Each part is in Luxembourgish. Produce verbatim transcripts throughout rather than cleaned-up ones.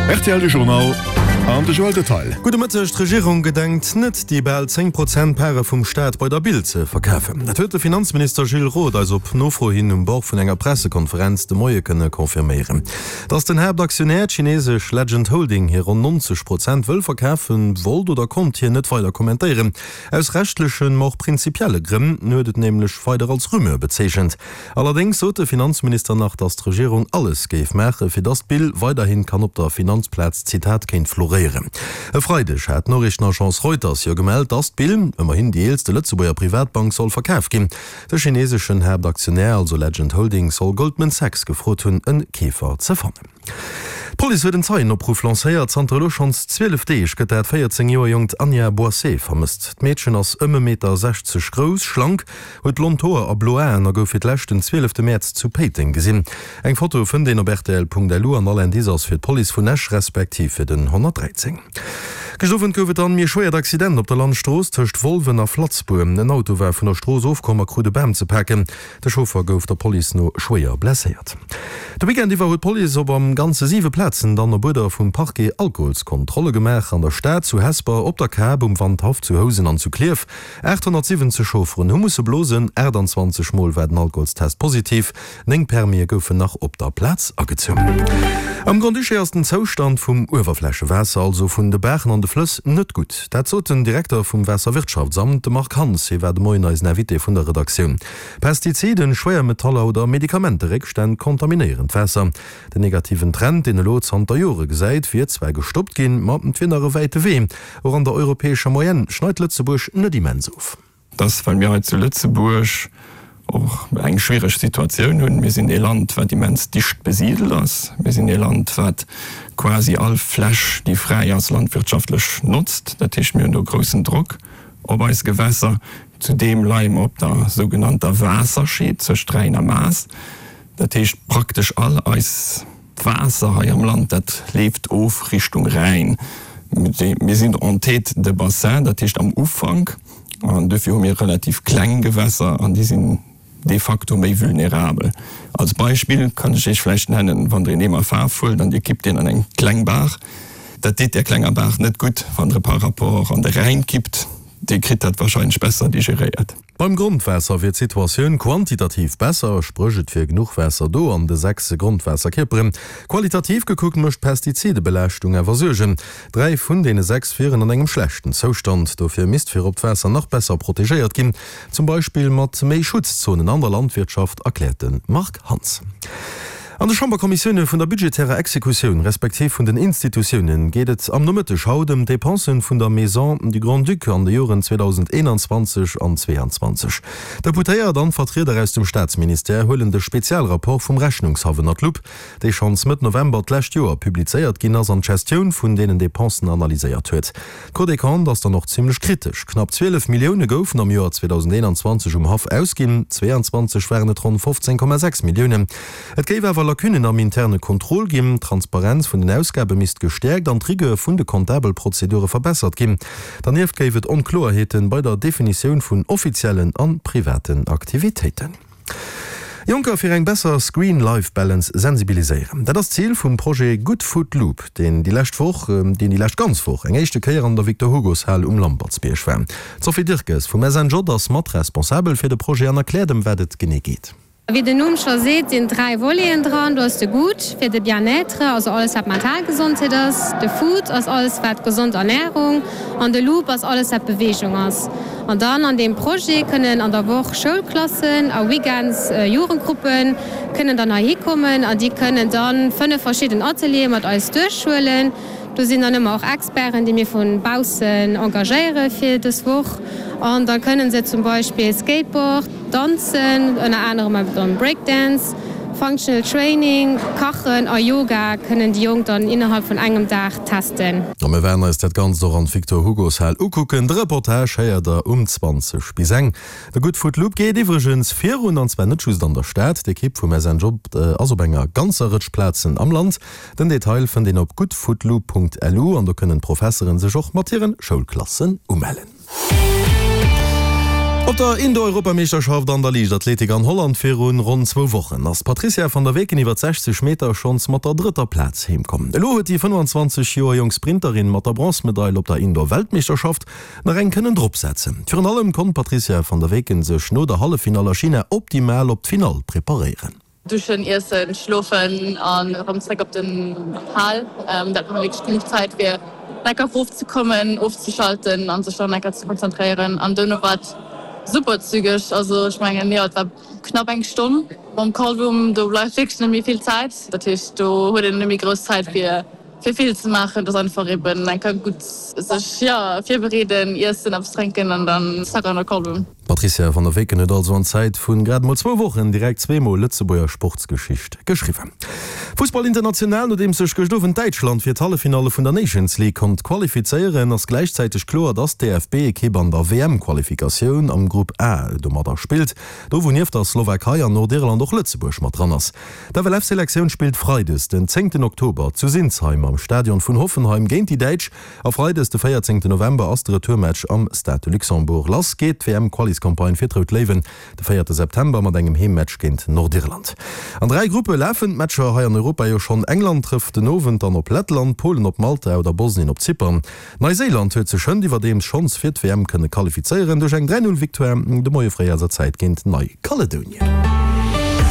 Rtl de Journal an de Joël Detail. Gudde Mëtteg, D'Regierung gedenkt net, déi bal zéng Prozent Pare vum Staat bei der Bil ze verkafen. Dat huet de Finanzminister Gilles Roth eis op Nofro hin um Bord vun enger Pressekonferenz de Moie kënne confirméieren. Datt den Haaptaktionär, d'chinesesch Legend Holding, hir ronn nonzeg Prozent wëll verkafen, wollt oder konnt hien net weider kommentéieren. Aus rechtlechen, ma och prinzipielle Grënn. En huet et nämlech weider als Rumeur bezeechent. Allerdéngs sot de Finanzminister nach, datt d'Regierung alles géif maachen, fir datt d'Bill weiderhin kann op der Finanzplaz, Zitat, kéint floréieren. E Freideg hat d'Noriichtenagence Reuters jo gemellt, datt d'Bill, ëmmerhin déi eelste Lëtzebuerger Privatbank, soll verkaf ginn. De chineseschen Haaptaktionär, also Legend Holdings, soll Goldman Sachs gefrot hunn, e Keefer ze fannen. D'Police huet en Zeienopruff lancéiert. Zanter elo schonns zwielef Deeg gëtt dat véierzéng Joer jonkt Anja Boisset vermësst. D'Meedchen ass ëm e Meter sechzeg grouss, schlank, huet blond Hoer a blo Aen a gouf fir d'lescht den zwielefte Mäerz zu Péiteng gesinn. Eng Foto fënnt een op rtl.lu an all Indice ass fir d'Police vun Esch respektiv fir den honnertdräizéng. Gëscht Owend gouf et dann méi e schwéiert Accident op der Landstrooss tëscht Wolwen a Flatzbour. En Auto war vun der Strooss ofkomm a krut e Bam ze paken. De Chauffer gouf der Police no schwéier blesséiert. De Weekend iwwer huet d'Police op am Ganze siwe Plazen dann op Uerder vum Parquet Alkoholskontrolle gemaach, an der Stad, zu Hesper, op der Kap, um Wandhaff, zu Housen an zu Klierf. aathonnertsiwwenzeg Chaufferen hu musse blosen, aachtanzwanzeg Mol war den Alkoholstest positiv, néng Permise goufen nach op der Plaz agezunn. Am Grand-Duché ass den Zoustand vum Uewerflächewaasser, also vun de Baachen an de Flëss, net gutt. Dat sot den Direkter vum Waasserwirtschaftsamt, de Marc Hans. Hie war de Moien eisen Invité vun der Redaktioun. Pestiziden, Schwéiermetaller oder Medikamenteréckstänn kontaminéieren d'Waasser. Den negativen Trend, deen elo zanter Jore gesäit, wier zwar gestoppt ginn, ma et wier nach e wäite Wee. Och an der europäescher Moyenne schneit Lëtzebuerg net immens of. Dat ass, well mir hei zu Lëtzebuerg och eng schwiereg Situatioun hunn. Mir sinn ee Land, wat immens dicht besidelt ass. Mir sinn ee Land, wat quasi all Fläch, déi fräi ass, landwirtschaftlech notzt. Dat heescht, mir hunn do groussen Drock op eis Gewässer. Zudeem leie mer op der sougenannter Waasserscheed zwëscht Rhäin a Maas. Dat heescht, praktesch all eis Waasser hei am Land, dat leeft of Richtung Rhäin. Mir sinn en tête de bassin, dat heescht am Ufank, an duerfir hu mir relativ kleng Gewässer an déi sinn de facto méi vulnerabel. Als Beispill kann ech Iech vläicht nennen, wann Der een Eemer Faarf huelt an Dir kippt deen an eng kleng Baach, dat deet där klenger Baach net gutt. Wann Der e par rapport an de Rhäin kippt, dee kritt dat wahrscheinlech besser digeréiert. Beim Grondwaasser wier d'Situatioun quantitativ besser, spréch et wier genuch Waasser do an de sechs Grondwaasserkierperen. Qualitativ gekuckt mécht d'Pestizidebelaaschtung awer Suergen. Dräi vun deene sechs wieren an engem schlechten Zoustand. Dofir misst virop d'Waasser nach besser protegéiert ginn, zum Beispill mat méi Schutzzonen an der Landwirtschaft, erkläert de Marc Hans. An de Chamberkommissioune vun der budgetärer Exekutioun, respektiv vun den Institutioune geet et am Nomëtteg haut ëm d'Depensen vun der Maison du Grand-Duc an de Joren zweedausendeenanzwanzeg an zweeanzwanzeg. D'Deputéiert an d'Vertrieder aus dem Staatsministère huelen de Spezialrapport vum Rechnungshaff ënner d'Lupp, dee schonns Mëtt November d'lescht Joer publizéiert ginn ass an d'Gestioun vun deenen Depensen analyséiert huet. D'Cour des Comptes ass dann och zimmlech kritesch. Knapp zwielef Millioune goufen am Joer zweedausendeenanzwanzeg um Haff ausginn, zweeanzwanzeg waren et ronn fofzéng Komma sechs Milliounen. Et géif awer Lacunnen am interne Contrôle ginn, d'Transparenz vun den Ausgabe misst gestäerkt an d'Rigueur vun de comptabel Prozedure verbessert ginn. Dernieft géif et Onkloerheeten bei der Definitioun vun offiziellen a privaten Aktivitéiten. Jonker fir eng besser Screen-Life-Balance sensibiliséieren, dat ass d'Zil vum Projet Good Food Loop, deen déi lescht Woch, deen déi lescht ganz Woch eng éischte Kéier an der Victor-Hugo's-Hal um Lampertsbierg war. D'Sophie Dirkes vum S N J ass mat responsabel fir de Projet an erkläert ëm wat et genee geet. Wéi den Numm scho seet, sinn dräi Voleten dran. Do ass de Good fir de Bien-être, also alles wat mental Gesondheet ass, de Food ass alles wat gesond Ernärung an de Loop ass alles wat Beweegung ass. An dann an deem Projet kënnen an der Woch Schoulklassen a Weekends Jugendgruppen kënnen dann heihi kommen an déi kënnen dann fënnef verschidden Ateliere mat eis duerchhuelen. Do sinn dann ëmmer och Experten, déi mir vu baussen engagéiere fir dës Woch. An da kënnen se zum Beispill Skateboard, danzen, ënner anerem awer dann Breakdance, Functional Training, Kachen a Yoga kënnen déi Jonk dann innerhalb vun engem Dag testen. A mir wäerten eis dat Ganzt och an d'Victor Hugo's Hal ukucken. De Reportage héiert der um zwanzeg bis eng. De Good Food Loop geet iwwregens virun, an zwar net just an der Stad. D'Ekipp vum S N J ass op enger ganzer Rëtsch Plazen am Land. Den Detail fënnt een op goodfoodloop Punkt lu an do kënnen d'Professeren sech och mat hiren Schoulklassen umellen. Op der Indoor-Europameeschterschaft an der Liichtathletik an Holland virun ronn zwou Wochen ass d'Patrizia van der Weken iwwer sechzeg Meter schonns mat der drëtter Plaz heem komm. Elo huet déi fënnefenzwanzeg Joer jonk Sprinterin mat der Bronzmedail op der Indoor-Weltmeeschterschaft nach eng kënnen dropsetzen. Virun allem konnt d'Patrizia van der Weken sech no der Halleffinall a China optimal op d'Finall preparéieren. Duschen, iessen, schlofen an erëm zréck op den Hal. Dat war wierklech genuch Zäit fir lecker rofzekommen, ofzeschalten an sech dann lecker ze konzentréieren. An duerno war et super zügeg. Also ech mengen jo, et war knapp eng Stonn. Mam Callroom do bleift wierklech net méi vill Zäit. Dat heescht do huet een net méi grouss Zäit fir fir vill ze maachen. Et ass einfach eben enker gutt sech jo virbereeden, iessen, eppes drénken an dann zack an de Callroom. D'Patrizia van der Weken huet also an Zäit vu grad mol zwou Wochen direkt zwee Mol Lëtzebuerger Sportsgeschicht geschriwwen. Fussball international, Nodeems sech gëscht Owend Däitschland fir d'Halleffinalle vun der Nations League konnt qualifizéieren, ass gläichzäiteg kloer, dass d'DFB-Ekipp an der W M-Qualifikatioun am Grupp A domadder spillt, do wou nieft der Slowakei an Nordirland och Lëtzebuerg mat dran ass. D'F L F-Selektioun spillt freides den zéngten Oktober zu Sinsheim am Stadion vun Hoffenheim géint déi Däitsch a freides de véierzéngten November ass de Retourmatch am Stade de Luxembourg. Lass geet d'W M-Qualiscampagne fir d'Rout Léiwen de véierte September mat engem Heemmatch géint Nordirland. An dräi Gruppe lafen d'Matcher hei an Europa jo schonn, England trëfft den Owend dann op Lettland, Polen op Malta oder Bosnien op Zypern. Neiséiland huet sech hënt iwwerdeems schonns fir d'W M kënne qualifizéieren duerch eng dräi-null-Victoire de Moie fréi eiser Zäit géint Neikaledonien.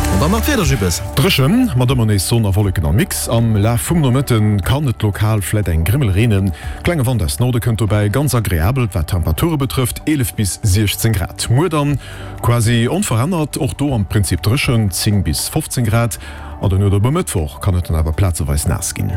An dann nach d'Wieder, Jibbes. Dréchen, mat ëmmer nees Sonn a Wolleken am Mix. Am Laf vum Nomëtte kann et lokal vläit eng Grimmel reenen. Klenge Wand aus Norde kënnt dobäi. Ganz agreabel wat d'Temperature betrëfft, eelef bis siechzéng Grad. Muer dann quasi onverännert, och do am Prinzip dréchen, zéng bis fofzéng Grad. An duerno op e Mëttwoch kann et dann awer plazeweis naass ginn.